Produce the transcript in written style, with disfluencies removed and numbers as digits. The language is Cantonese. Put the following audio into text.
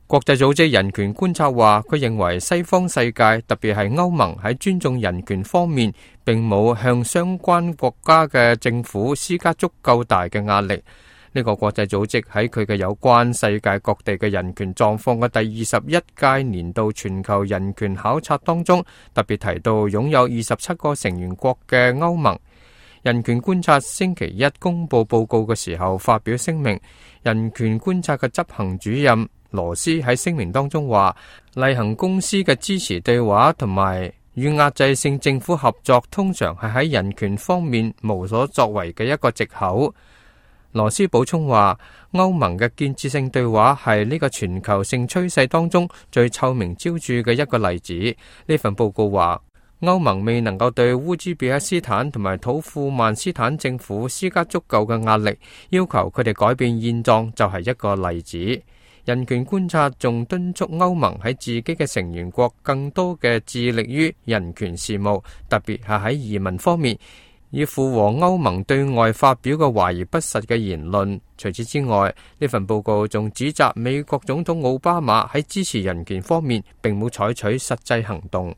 國際組織人權觀察話，佢認為西方世界，特別係歐盟喺尊重人權方面，並冇向相關國家嘅政府施加足夠大嘅壓力。呢個國際組織喺佢嘅有關世界各地嘅人權狀況嘅第21屆年度全球人權考察當中，特別提到擁有27個成員國嘅歐盟。人權觀察星期一公布報告嘅時候發表聲明，人權觀察嘅執行主任羅斯喺聲明當中話，例行公司嘅支持對話同埋與壓制性政府合作，通常係喺人權方面無所作為嘅一個藉口。羅斯補充話，歐盟嘅建設性對話係呢個全球性趨勢當中最臭名昭著嘅一個例子。呢份報告話，歐盟未能夠對烏茲別克斯坦同埋土庫曼斯坦政府施加足夠嘅壓力，要求佢哋改變現狀就係一個例子。人權觀察仲敦促歐盟喺自己嘅成員國更多嘅致力於人權事務，特別係喺移民方面，以符合歐盟對外發表嘅華而不實嘅言論。除此之外，呢份報告仲指責美國總統奧巴馬喺支持人權方面並冇採取實際行動。